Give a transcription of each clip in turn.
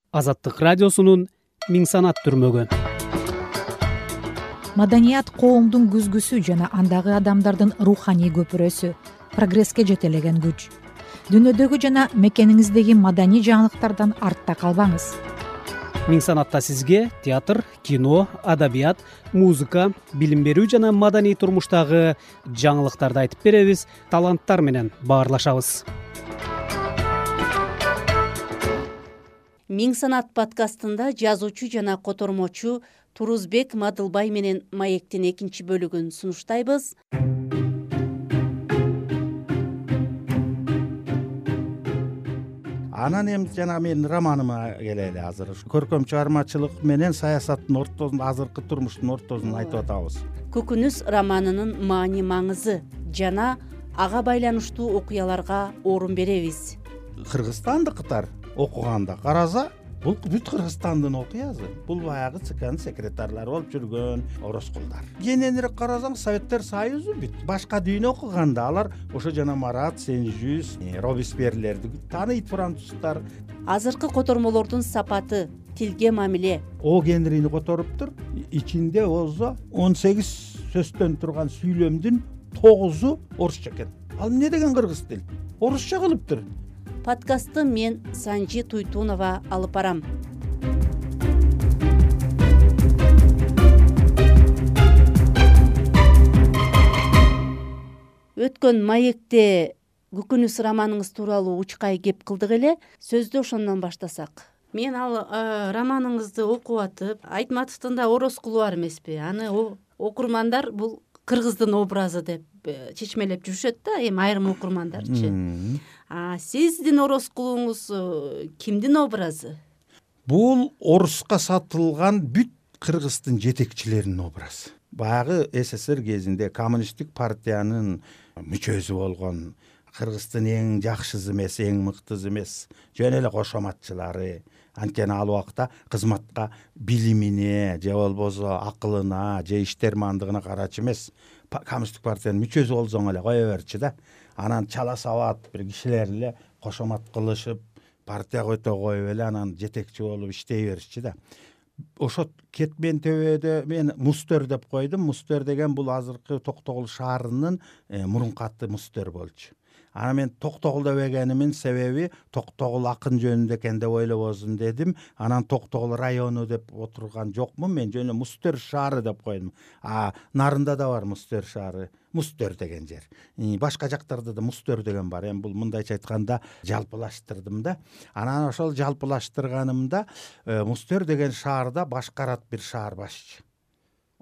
Азаттык радиосунун Миң санат түрмөгү. Маданият коомдун күзгүсү жана андагы адамдардын руханий көпүрөсү, прогресске жетелеген күч. Дүйнөдөгү жана мекениңиздеги маданий жаңылыктардан артта калбаңыз. Миң санатта сизге театр, кино, адабият, музыка, билим берүү жана маданий турмуштагы жаңылыктарды айтып беребиз, таланттар менен баарлашабыз. Миң санат подкастында жазуучу жана котормочу Турузбек Мадылбай менен Маектин экинчи бөлүгүн сунуштайбыз. Анан эми жана менин романыма келели. Азыр көркөм чыгармачылык менен саясаттын ортосунда, азыркы турмуштун ортосун айтып атабыз. Көкүнүс романынын маани маңызы жана ага байланыштуу окуяларга орун беребиз. Кыргызстандыктар окуганда караса, бул бүт Кыргызстандын окуясы. Бул баягы ЦКнын секретарлары болуп жүргөн ороскулдар. Кененирээк карасаң, Советтер Союзу бүт башка дүйнө окуганда алар ошо жана Марат, Сен-Жюс, Робеспьерлерди тааныйт, француздар. Азыркы котормолордун сапаты, тилге мамиле. О Генрини которуптур. Ичинде болсо 18 сөздөн турган сүйлөмдүн 9-у орусча экен. Ал эмне деген кыргыз тил? Орусча кылыптыр. Подкастты мен Санжи Туйтунова алып барам. Өткөн маекте Көкүнүс романыңыз тууралуу учкай кеп кылдык эле. Сөздү ошондон баштасак. Мен ал романыңызды окуп атып, Айтматовдун да ороскулу бар эмеспи? Аны окурмандар бул кыргыздын образы деп чечмелеп жүрүшөт да, эми айрым окурмандарчы. Сиздин ороскулуңуз кимдин образы? Бул оруска сатылган бүт кыргыздын жетекчилеринин образы. Баягы СССР кезинде коммунисттик партиянын мүчөсү болгон, Кыргыздын эң жакшысы эмес, эң мыктысы эмес, жөн эле кошоматчылары. Анткени ал убакта кызматка билимине же болбосо акылына же иштермандыгына карачы эмес, коммунисттик партиянын мүчөсү болсоң эле кое берчи да. Анан чала сабат бир кишилер эле кошомат кылышып, партияга өтө коюп эле анан жетекчи болуп иштей беришчи да. Ошо кетмен төбөдө мен Мустер деп койдум. Мустер деген бул азыркы Токтогул шаарынын мурунку аты Мустер болчу. Ана мен Токтогул дебегенимин себеби Токтогул акын жөнүндө экен деп ойлобосун дедим. Анан Токтогул району деп отурган жокмун, мен жөн эле Мустер шаары деп койдум. Нарында да бар Мустер шаары, Мустер деген жер. Башка жактарда да Мустер деген бар. Эми бул мындайча айтканда жалпылаштырдым да. Анан ошол жалпылаштырганымда Мустер деген шаарда башкарат бир шаар башчы.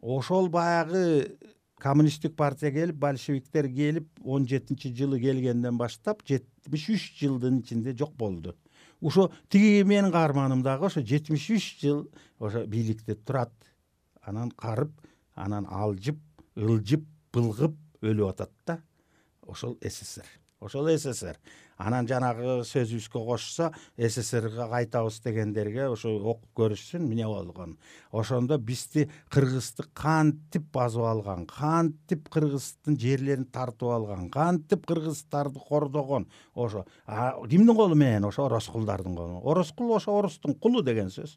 Ошол баягы коммунисттик партия келип, большевиктер келип 17-жылы келгенден баштап 73 жылдын ичинде жок болду. Ошо тиги менин каарманым дагы ошо 73 жыл ошо бийликте турат. Анан карып, анан алжып, ылжып, былгып өлүп атат да. Ошол СССР. Ошол СССР. Анан жанагы сөзүбүзгө кошсо, СССРга кайтабыз дегендерге ошо окуп көрүшсүн эмне болгон. Ошондо бизди Кыргызды кантип басып алган, кантип Кыргыздын жерлерин тартып алган, кантип кыргыздарды кордогон. Ошо кимдин колу менен? Ошо ороскулдардын колу. Ороскул ошо орустун кулу деген сөз.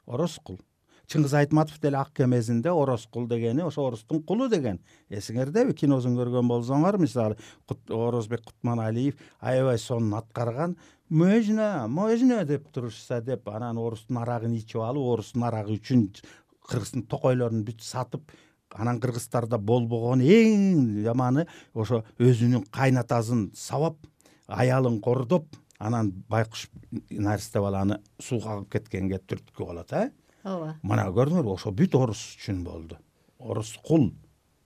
Ороскул. Чыңгыз Айтматов деле ак кемесинде ороскул дегени ошо орустун кулу деген. Эсиңердеби? Киносун көргөн болсоңор, мисалы Орозбек Кутманалиев аябай сонун аткарган. Можно деп турушса деп, анан орустун арагын ичип алып, орустун арагы үчүн кыргыздын токойлорун бүт сатып, анан кыргыздарда болбогон эң жаманы ошо өзүнүн кайнатасын сабап, аялын кордоп, анан байкуш наристе баланы сууга агып кеткенге түрткү болот, Ооба. Мына көрдүңөрбү, ошо бүт орус үчүн болду. Орус кул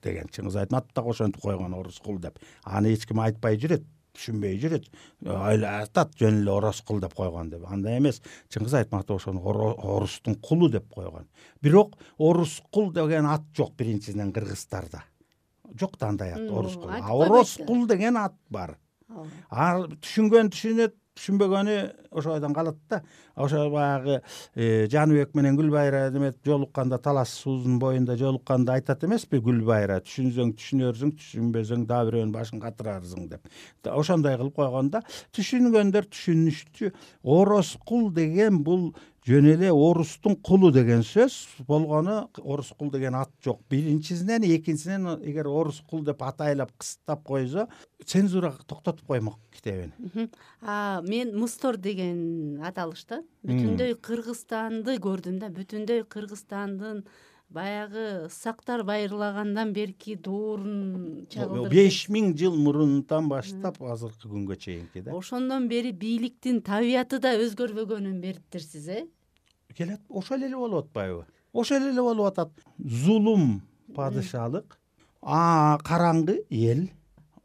деген Чыңгыз Айтматов да ошентип койгон, орус кул деп. Аны эч ким айтпай жүрөт, түшүнбөй жүрөт. Айтат жөн эле орус кул деп койгон деп. Андай эмес. Чыңгыз Айтматов ошону орустун кулу деп койгон. Бирок орус кул деген ат жок биринчиден кыргыздарда. Жок да андай ат, орус кул. Орус кул деген ат бар. Түшүнгөн түшүнөт, түшүнбөгөнү ошойдон калат да. Ошо баягы Жаныбек менен Гүлбайра демек жолукканда, талас суунун боюнда жолукканда айтат эмеспи Гүлбайра, түшүнсөң түшүнөрсүң, түшүнбөсөң дагы бирөөнүн башын катырарсың деп. Ошондой кылып койгонда түшүнгөндөр түшүнүштү. Ороскул деген бул жөн эле орустун кулу деген сөз болгону, орус кул деген ат жок. Биринчисинен, экинчисинен эгер орус кул деп атайлап кыстап койсо, цензура токтотуп коймок китебин. Мен Мустор деген аталышта бүтүндөй Кыргызстанды көрдүм да, бүтүндөй Кыргызстандын баягы сактар байырлагандан берки дуурун чагылдырып 5000 жыл мурунтан баштап азыркы күнгө чейинки да. Ошондон бери бийликтин табияты да өзгөрбөгөнүн бериптирсиз, Келет, ошол эле болуп атпайбы? Ошол эле болуп атат. Зулум падышалык, караңгы эл.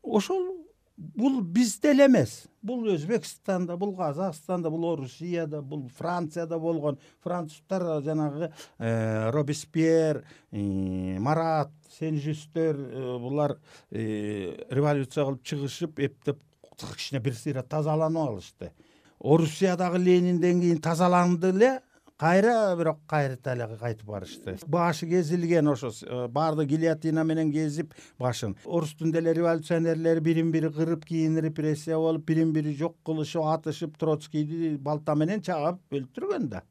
Ошол бул бизде эле эмес. Бул Өзбекстанда, бул Казакстанда, бул Орусияда, бул Францияда болгон. Француздар жанагы Робеспьер, Марат, Сен-Жюстер булар революция кылып чыгышып, эптеп кичине бир сыйра тазаланып алышты. Орусиядагы Ленинден кийин тазаланды эле, кайра бирок кайрыта эле кайтып барышты. Башы кезилген ошо баарды гильотина менен кезип башын. Орустун деле революционерлери бирин-бири кырып, кийин репрессия болуп, бирин-бири жок кылышып, атышып, Троцкийди балта менен чаап өлтүргөн да.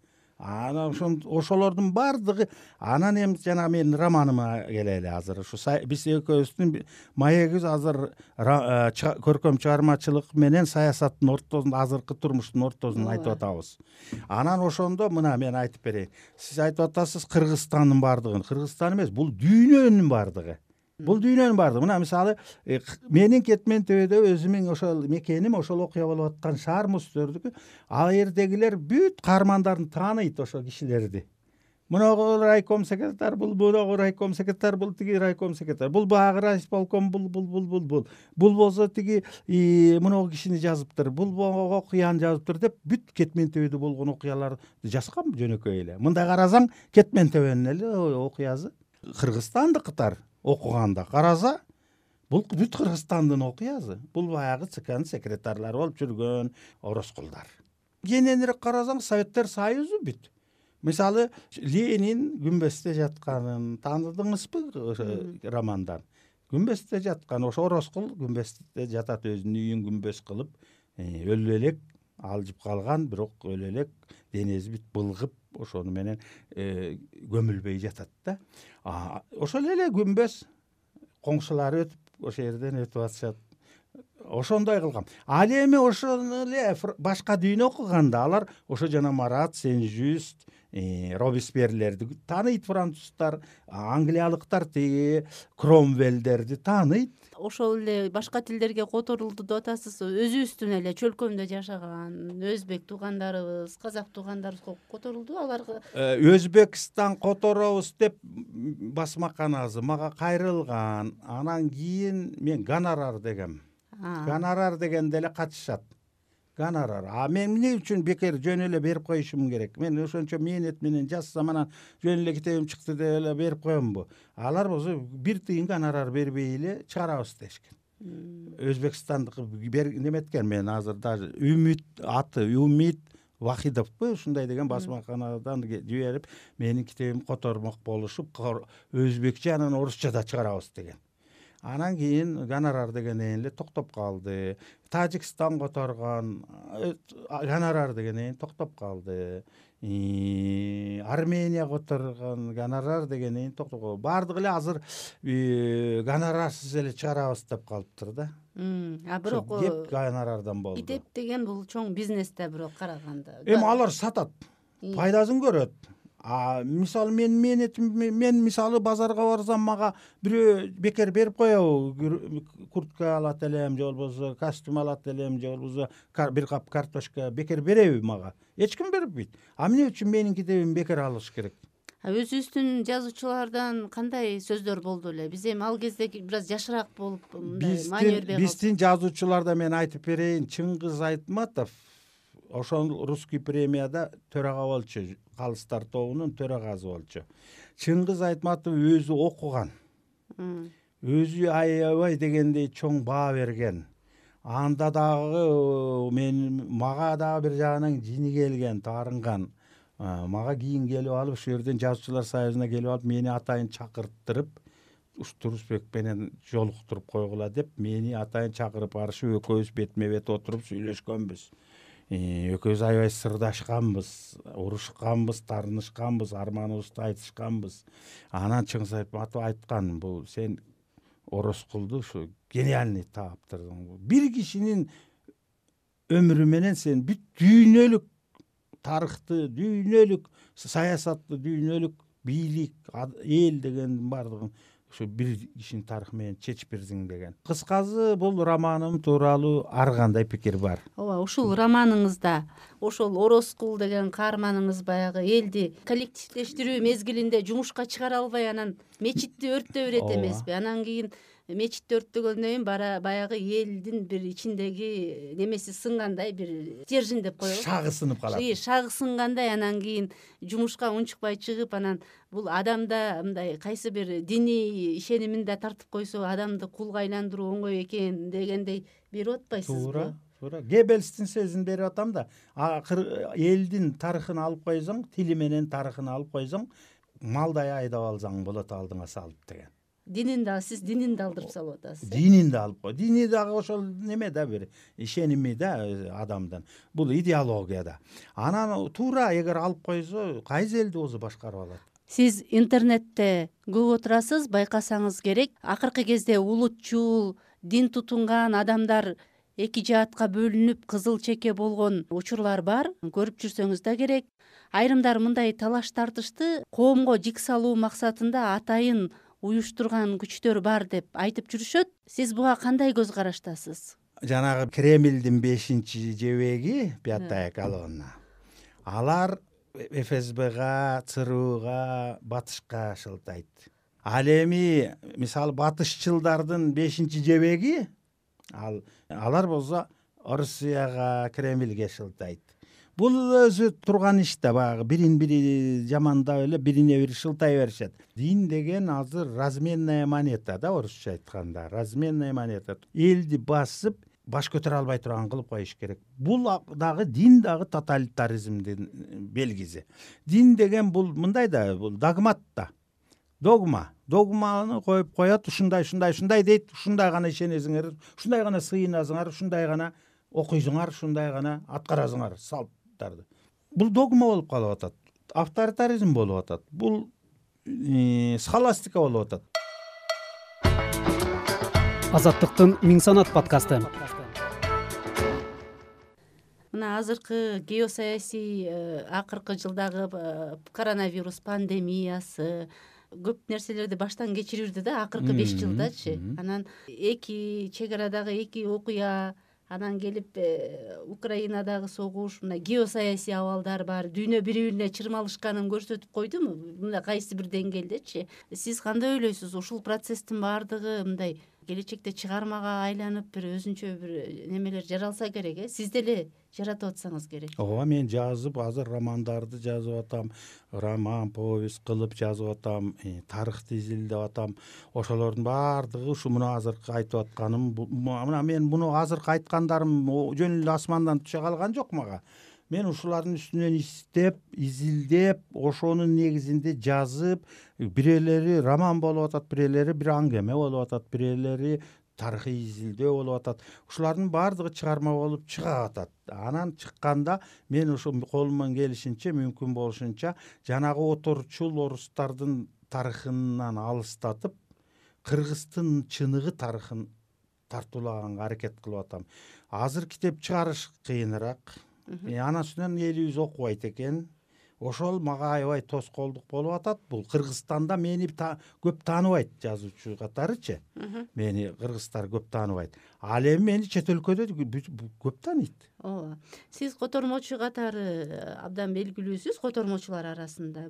Анан ошолордун баардыгы анан эми жана менин романыма келели азыр. Ушу биз экөөбүздүн маегибиз азыр көркөм чыгармачылык менен саясаттын ортосунда, азыркы турмуштун ортосунда айтып атабыз. Анан ошондо мына мен айтып берейин. Сиз айтып атасыз Кыргызстандын баардыгын. Кыргызстан эмес, бул дүйнөнүн баардыгы. Бул дүйнөнүн баардыгы. Мына мисалы менин Кетмен-төбөдө өзүмүн ошол мекеним, ошол окуя болуп аткан шаар Мустөрдүкү. Ал жердегилер бүт каармандарын тааныйт ошол кишилерди. Мунагу райком секретарь, бул райком секретарь, бул тиги райком секретарь, бул багы райисполком, бул. Бул болсо тиги мунагу кишини жазыптыр, бул окуяны жазыптыр деп бүт Кетмен-төбөдө болгон окуяларды жазган жөнөкөй эле. Мындай карасаң Кетмен-төбөнүн эле окуясы. Кыргызстандыкытар окуганда караса, бул бүт Кыргызстандын окуясы. Бул баягы ЦКнын секретарлары болуп жүргөн ороскулдар. Кененирээк карасаң Советтер Союзу бүт. Мисалы, Ленин күмбөздө жатканын тааныдыңызбы романдан? Күмбөздө жаткан, ошо ороскул күмбөздө жатат, өзүнүн үйүн күмбөз кылып, өлү элек алжып калган, бирок өлү элек денеси бүт былгып, ошону менен көмүлбөй жатат да. Ошол эле күмбөз коңшулары өтүп, ошол жерден өтүп атышат. Ошондой кылгам. Ал эми ошону эле башка дүйнө окуганда алар ошо жана Марат, Сен-Жюст, Робеспьерлерди тааныйт, француздар, англиялыктар тиги Кромвелдерди тааныйт. Ошол эле башка тилдерге которулду деп атасыз. Өзүбүздүн эле чөлкөмдө жашаган өзбек туугандарыбыз, казак туугандарыбыз которулду аларга. Өзбекстан которобуз деп басмаканасы мага кайрылган. Анан кийин мен гонорар дегем. Гонорар дегенде эле катышат. Гонорар. Мен эмне үчүн бекер жөн эле берип коюшум керек? Мен ошончо мээнет менен жазсам, анан жөн эле китебим чыкты деп эле берип коембу? Алар болсо бир тыйын гонорар бербей эле чыгарабыз дешкен. Өзбекстандыкы неметкен, мен азыр даже Умит Вахидовпу ушундай деген басмаканадан жиберип, менин китебим котормок болушуп, өзбекче анан орусча да чыгарабыз деген. Анан кийин гонорар дегенден эле токтоп калды. Тажикстан которгон, гонорар дегенден токтоп калды. Армения которгон, гонорар дегенден токтоп калды. Бардыгы эле азыр гонорарсыз эле чыгарабыз деп калыптыр да. Бирок кеп гонорардан болду. Китеп деген бул чоң бизнес да, бирок караганда. Эми алар сатат, пайдасын көрөт. Мисалы мен мисалы базарга барсам, мага бирөө бекер берип коебу, куртка алат элем, же болбосо костюм алат элем, же болбосо бир кап картошка бекер береби мага? Эч ким бербейт. Эмне үчүн менин китебим бекер алыш керек? Өзүбүздүн жазуучулардан кандай сөздөр болду эле? Биз эми ал кезде бир аз жашыраак болуп, мындай маани бербей калдык. Биздин жазуучуларда мен айтып берейин, Чыңгыз Айтматов ошол русский премияда төрага болчу, Калыстар тобунун төрагасы болчу. Чыңгыз Айтматов өзү окуган. Өзү аябай дегендей чоң баа берген. Анда дагы мага дагы бир жагынан жини келген, таарынган. Мага кийин келип алып, ошол жерден жазуучулар союзуна келип алып, мени атайын чакырттырып, Турусбек менен жолуктуруп койгула деп, мени атайын чакырып барышып, экөөбүз бетме бет отуруп сүйлөшкөнбүз. экөөбүз аябай сырдашканбыз, урушканбыз, таарынышканбыз, арманыбызды айтышканбыз. Анан Чыңгыз Айтматов айткан, бул сен Орозкулду ушу гениальный таптырдың. Бир кишинин өмүрү менен сен бүт дүйнөлүк тарыхты, дүйнөлүк саясатты, дүйнөлүк бийлик, эл дегендин баардыгын ушу бир кишинин тарыхы менен чечип бердиң деген. Кыскасы, бул романым тууралуу ар кандай пикир бар. ооба, ушул романыңызда ошол Орозкул деген каарманыңыз баягы элди коллективдештирүү мезгилинде жумушка чыгара албай анан мечитти өрттөп берет эмеспи? Анан кийин мечитти өрттөгөндөн кийин баягы элдин бир ичиндеги немеси сынгандай, бир стержень деп коебуз. Шагы сынып калат. Шагы сынгандай, анан кийин жумушка унчукпай чыгып, анан бул адамда мындай кайсы бир диний ишенимин да тартып койсо, адамды кулга айландыруу оңой экен дегендей берип атпайсызбы? Туура. Геббельстин сөзүн берип атам да, элдин тарыхын алып койсоң, тили менен тарыхын алып койсоң, малдай айдап алсаң болот алдыңа салып деген. Сиз динин да алдырып салып атасыз. Динин да алып кой. Дини дагы ошол неме да, бир ишеними да адамдын. Бул идеология да. Анан туура эгер алып койсо, кайсы элди өзү башкарып алат. Сиз интернетте көп отурасыз, байкасаңыз керек. Акыркы кезде улутчул, дин тутунган адамдар эки жаатка бөлүнүп кызыл чеке болгон учурлар бар. Көрүп жүрсөңүз да керек. Айрымдар мындай талаш тартышты коомго жик салуу максатында атайын уюштурган күчтөр бар деп айтып жүрүшөт. Сиз буга кандай көз караштасыз? Жанагы Кремлдин 5-чи жебеги, пятая колонна. Алар ФСБга, ЦРУга, батышка шылтайт. Ал эми мисалы батышчылдардын 5-чи жебеги, алар болсо Орусияга, Кремлге шылтайт. Бул өзү турган иш да, баягы бирин-бири жамандап эле бирине бири шылтай беришет. Дин деген азыр разменная монета да, орусча айтканда. Разменная монета. Элди басып, баш көтөрө албай турган кылып коюш керек. Бул дагы дин дагы тоталитаризмдин белгиси. Дин деген бул мындай да, бул догмат да. Догманы коюп коет, ушундай дейт, ушундай гана ишенесиңер, ушундай гана сыйынасыңар, ушундай гана окуйсуңар, ушундай гана аткарасыңар салттарды. Бул догма болуп калып атат. Авторитаризм болуп атат. Бул схоластика болуп атат. Азаттыктын Миң санат подкасты. Мына азыркы геосаясий акыркы жылдагы коронавирус пандемиясы көп нерселерди баштан кечирирди да, акыркы 5 жылдачы. Анан эки чек арадагы эки окуя, анан келип Украинадагы согуш, мына геосаясий абалдар бар, дүйнө бири-бирине чырмалышканын көрсөтүп койдуму? Мына кайсы бир деңгээлдечи. Сиз кандай ойлойсуз? Ушул процесстин баардыгы мындай келечекте чыгармага айланып, бир өзүнчө бир немелер жаралса керек, Сиз деле жаратып атсаңыз керек. Ооба, мен жазып, азыр романдарды жазып атам, роман, повесть кылып жазып атам, тарыхты изилдеп атам. Ошолордун баардыгы ушу муну азыркы айтып атканым, мына мен муну азыркы айткандарым жөн эле асмандан түшө калган жок мага. Мен ушулардын үстүнөн издеп, изилдеп, ошонун негизинде жазып, бирелери роман болуп атат, бирелери бир аңгеме болуп атат, бирелери тарыхый изилдөө болуп атат. Ушулардын баардыгы чыгарма болуп чыга атат. Анан чыкканда мен ушу колуман келишинче, мүмкүн болушунча жанагы оторчул орустардын тарыхынан алыстатып, кыргыздын чыныгы тарыхын тартуулаганга аракет кылып атам. Азыр китеп чыгарыш кыйыныраак. Анан үстүнөн элибиз окубайт экен. Ошол мага аябай тоскоолдук болуп атат. Бул Кыргызстанда мени көп тааныбайт, жазуучу катарычы. Мени кыргыздар көп тааныбайт. Ал эми мени чет өлкөдө көп тааныйт. Ооба. Сиз котормочу катары абдан белгилүүсүз котормочулар арасында.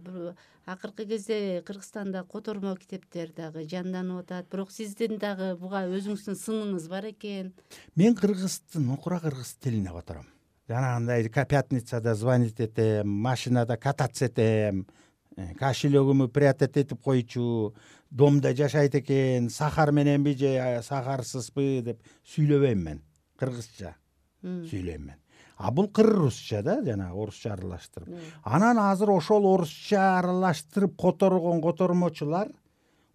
Акыркы кезде Кыргызстанда котормо китептер дагы жанданып атат. Бирок сиздин дагы буга өзүңүздүн сыныңыз бар экен. Мен кура кыргыз тилине котором. Жанагындай пятницада звонить этем, машинада кататься этем, кошелегимди прятать этип койчу, домдо жашайт экен, сахар мененби же сахарсызбы деп сүйлөбөйм мен. Кыргызча сүйлөйм мен. А бул кыргызча да, жана орусча аралаштырып. Анан азыр ошол орусча аралаштырып которгон котормочулар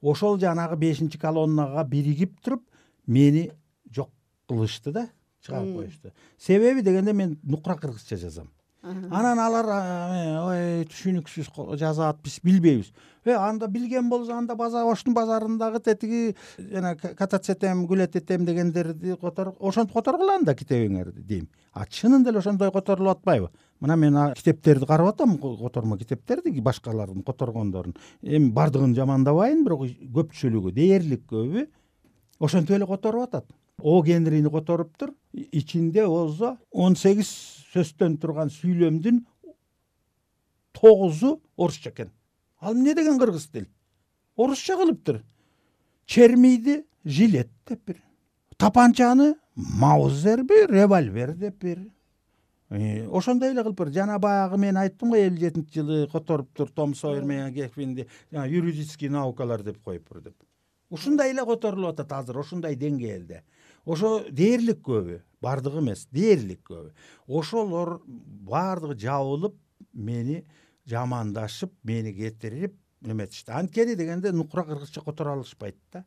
ошол жанагы 5-колоннага биригип туруп мени жок кылышты да. чыгарып коюшту. Себеби дегенде мен нукура кыргызча жазам. Анан алар ой түшүнүксүз жазат, биз билбейбиз. Анда билген болсо анда Оштун базарындагы тетиги жана катацетем, гулететем дегендерди ошентип которгула анда китебиңерди дейм. Чынында эле ошондой которулуп атпайбы? Мына мен китептерди карап атам, котормо китептерди, башкалардын которгондорун. Эми бардыгын жамандабайын, бирок көпчүлүгү, дээрлик көбү ошентип эле которуп атат. О Генрини которуптур. Ичинде болсо 18 сөздөн турган сүйлөмдүн 9-у орусча экен. Ал эмне деген кыргыз тил? Орусча кылыптыр. Чермийди жилет деп бир. Тапанчаны маузер бир, револьвер деп бир. Ошондой эле кылып бир. Жана баягы мен айттым го 57-жылы которуптур Том Сойер менен Геквинди юридический наукалар деп коюптур деп. Ушундай эле которулуп атат азыр, ошондой деңгээлде. Ошо дээрлик көбү, бардыгы эмес, дээрлик көбү. Ошолор бардыгы жабылып, мени жамандашып, мени кетирип неметишти. Анткени дегенде нукура кыргызча которо алышпайт да.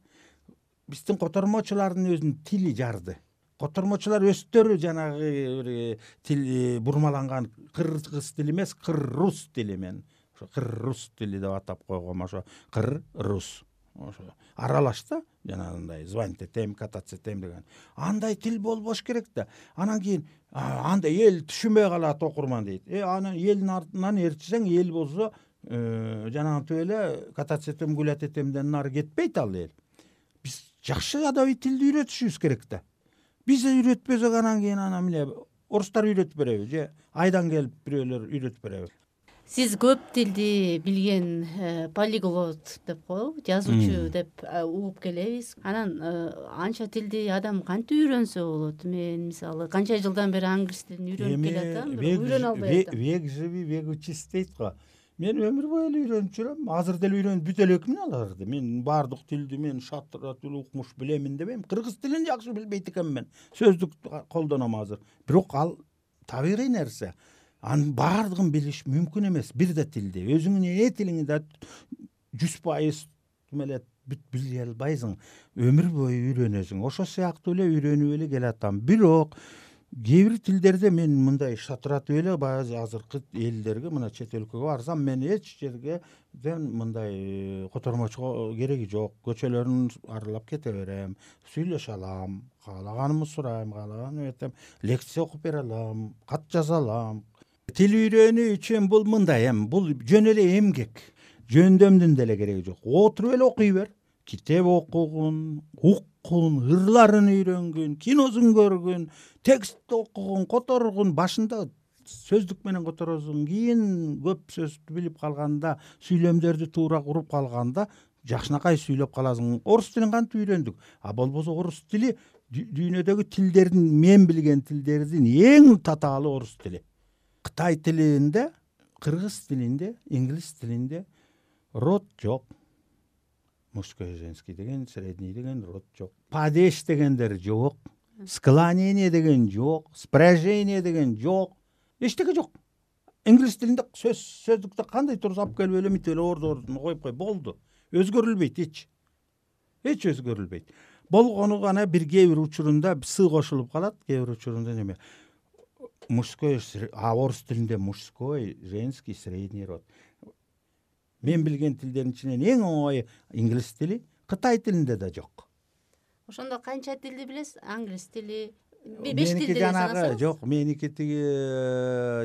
Биздин котормочулардын өзүнүн тили жарды. Котормочулар өздөрү жанагы тил бурмаланган кыргыз тили эмес, кыр-рус тили мен. Ошо кыр-рус тили деп атап койгом, ошо кыр-рус. Ошо аралаш да, жанагындай звонить этем, кататься этем деген. Андай тил болбош керек да. Анан кийин анда эл түшүнбөй калат окурман дейт. Анан элдин артынан ээрчисең, эл болсо жанагынтип эле кататься этем, гулять этемден нары кетпейт ал эл. Биз жакшы адабий тилди үйрөтүшүбүз керек да. Биз үйрөтпөсөк анан кийин эмне орустар үйрөтүп береби же айдан келип бирөөлөр үйрөтүп береби? Сиз көп тилди билген полиглот деп коелу, жазуучу деп угуп келебиз. Анан анча тилди адам кантип үйрөнсө болот? Мен мисалы канча жылдан бери англис тилин үйрөнүп келатам, үйрөнө албай атам. Век живи, век учись дейт го. Мен өмүр бою эле үйрөнүп жүрөм. Азыр деле үйрөнүп бүтө элекмин аларды. Мен бардык тилди мен шатырат укмуш билемин дебейм. Кыргыз тилин жакшы билбейт экенмин. Сөздүк колдоном азыр. Бирок ал табигый нерсе. Анын бардыгын билиш мүмкүн эмес. Бир да тилди. Өзүңүн тилиңди да 100% эле бүт биле албайсың. Өмүр бою үйрөнөсүң. Ошо сыяктуу эле үйрөнүп эле келатам. Бирок кээ бир тилдерде мен мындай шатыратып эле баягы азыркы элдерге, мына чет өлкөгө барсам, мен эч жерге мындай котормочуга кереги жок. Көчөлөрүн аралап кете берем, сүйлөшө алам, каалаганымды сурайм, каалаганым этем, лекция окуп бере алам, кат жаза алам. Тил үйрөнүү үчүн бул мындай бул жөн эле эмгек. Жөндөмдүн деле кереги жок. Отуруп эле окуй бер. Китеп окугун, уккун, ырларын үйрөнгүн, киносун көргүн, текстти окугун, которгун. Башында сөздүк менен которосуң, кийин көп сөздү билип калганда, сүйлөмдөрдү туура куруп калганда жакшынакай сүйлөп каласың. Орус тилин кантип үйрөндүк? Болбосо орус тили дүйнөдөгү тилдердин, мен билген тилдердин эң татаалы орус тили. Кытай тилинде, кыргыз тилинде, инглис тилинде род жок. Мужской, женский деген, средний деген род жок. Падеж дегендер жок. Склонение деген жок. Спряжение деген жок. Эчтеке жок. Инглис тилинде сөздүктө кандай турса алып келип эле мынтип эле ордун коюп кой, болду. Өзгөрүлбөйт эч. Эч өзгөрүлбөйт. Болгону гана бир кээ бир учурунда с кошулуп калат, кээ бир учурунда неме. Мужской, орус тилинде мужской, женский, средний род. Мен билген тилдердин ичинен эң оңой инглис тили, Кытай тилинде да жок. Ошондо канча тилди билесиз? Англис тили, 5 тилди жанагы жок, меники тиги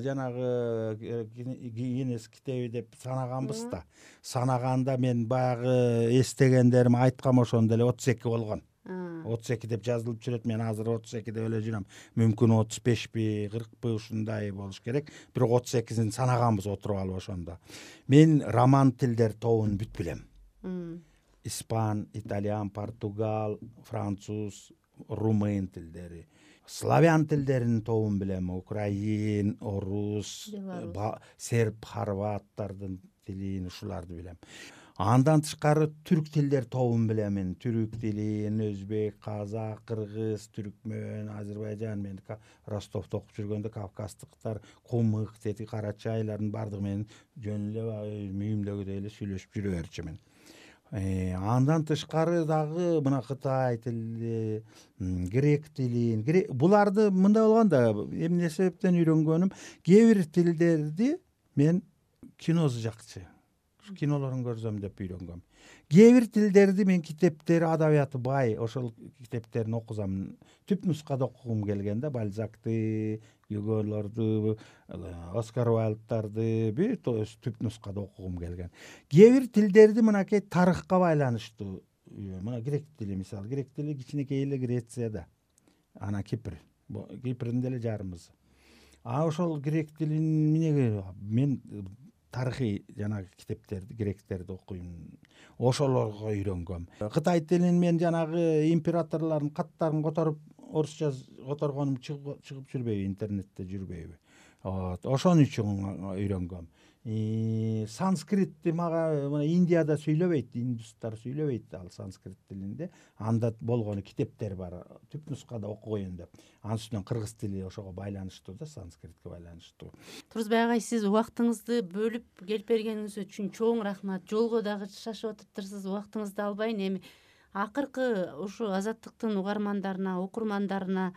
жанагы Гиннес китеби деп санаганбыз да. Санаганда мен баягы эстегендерим айткам ошондо эле 32 болгон. 32 деп жазылып жүрөт. Мен азыр 32 деп эле жүрөм. Мүмкүн 35 40 ушундай болуш керек. Бирок 38-ин санаганбыз отуруп алып ошондо. Мен роман тилдер тобун бүт билем. Испан, итальян, португал, француз, румын тилдери. Славян тилдеринин тобун билем. Украин, орус, серб, хорваттардын тилин, ушуларды билем. Андан тышкары түрк тилдер тобун билем. Түрк тилин, өзбек, казак, кыргыз, түркмөн, азербайжан, мен Ростовдо окуп жүргөндө кавказдыктар, кумык, кара чайлардын бардыгы менен жөн эле мүйүмдөгүдөй эле сүйлөшүп жүрө берчүмүн. Андан тышкары дагы мына кытай тили, грек тилин, буларды мындай болгон да, эмне себептен үйрөнгөнүм, кээ бир тилдерди мен киносу жакчы, кинолорун көрсөм деп үйрөнгөм. Кээ бир тилдерди мен китептери, адабияты бай, ошол китептерин окусам, түп нускада окугум келген да, Бальзакты, Гюголорду, Оскар Уайлдтарды бүт түп нускада окугум келген. Кээ бир тилдерди мынакей тарыхка байланыштуу, мына грек тили мисалы, грек тили кичинекей эле Грецияда, анан Кипрдин деле жарымыбыз. Ошол грек тилин мен тарыхый жанагы китептерди, гректерди окуйм, ошолорго үйрөнгөм. Кытай тилин мен жанагы императорлордун каттарын которуп, орусча которгонум чыгып жүрбөйбү, интернетте жүрбөйбү. Ошон үчүн үйрөнгөм. Санскритти мага мына Индияда сүйлөбөйт, индустар сүйлөбөйт ал санскрит тилинде. Анда болгону китептер бар, түп нускада окугуйын деп. Анын үстүнөн кыргыз тили ошого байланыштуу да, санскритке байланыштуу. Турузбай агай, сиз убактыңызды бөлүп келип бергениңиз үчүн чоң рахмат. Жолго дагы шашып атыптырсыз, убактыңызды албайын. Эми акыркы ушу Азаттыктын угармандарына, окурмандарына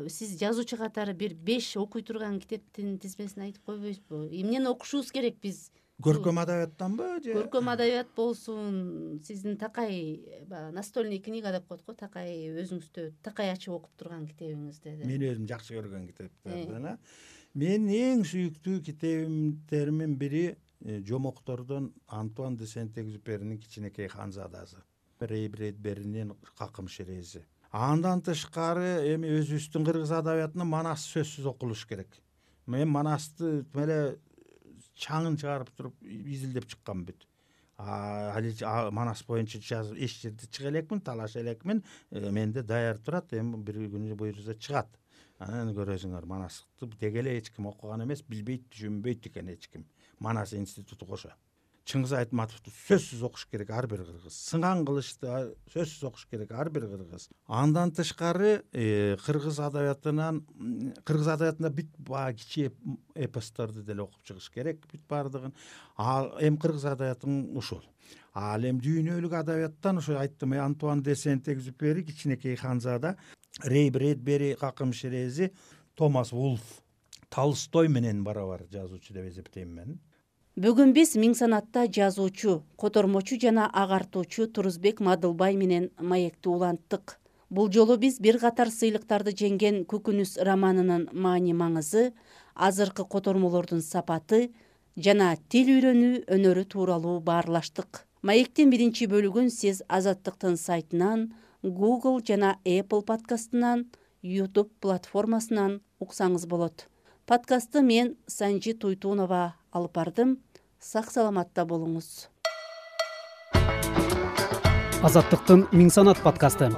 сиз жазуучу катары бир 5 окуй турган китептин тизмесин айтып койбойсузбу? Эмнени окушубуз керек биз? Көркөм адабияттанбы же? Көркөм адабият болсун, сиздин такай настольный книга деп коет го, такай өзүңүздө такай ачып окуп турган китебиңизде. Мен өзүм жакшы көргөн китептерден. Мен эң сүйүктүү китебимдердин бири Жомоктордон Антуан де Сент-Экзюперинин Кичинекей ханзадасы, Рэй Брэдберинин Какым шерези. Андан тышкары эми өзүбүздүн кыргыз адабиятына Манас сөзсүз окулуш керек. Мен Манасты эле чаңын чыгарып туруп изилдеп чыккам бүт. Манас боюнча эч жерде чыга элекмин, талаша элекмин, менде даяр турат, эми бир күнү буюрса чыгат. Анан көрөсүңөр, Манасты деги эле эч ким окуган эмес, билбейт, түшүнбөйт экен эч ким. Манас институту кошо. Чыңгыз Айтматовду сөзсүз окуш керек ар бир кыргыз. Сыңган Кылычты сөзсүз окуш керек ар бир кыргыз. Андан тышкары кыргыз адабиятында бүт баа кичи эпосторду деле окуп чыгыш керек, бүт баардыгын. Эми кыргыз адабиятың ушул. Ал эми дүйнөлүк адабияттан ошо айттым, Антуан де Сент-Экзюпери Кичинекей ханзада, Рэй Брэдбери Какым шерези, Томас Вулф, Толстой менен барабар жазуучу деп эсептейм мен. Бүгүн биз Миң санатта жазуучу, котормочу жана агартуучу Турузбек Мадылбай менен маекти уланттык. Бул жолу биз бир катар сыйлыктарды жеңген Көкүнүс романынын маани маңызы, азыркы котормолордун сапаты жана тил үйрөнүү өнөрү тууралуу баарлаштык. Маектин биринчи бөлүгүн сиз Азаттыктын сайтынан, Google жана Apple подкастынан, YouTube платформасынан уксаңыз болот. Подкастты мен Санжи Туйтунова алып бардым. Сак саламатта болуңуз. Азаттыктын Миң санат подкасты.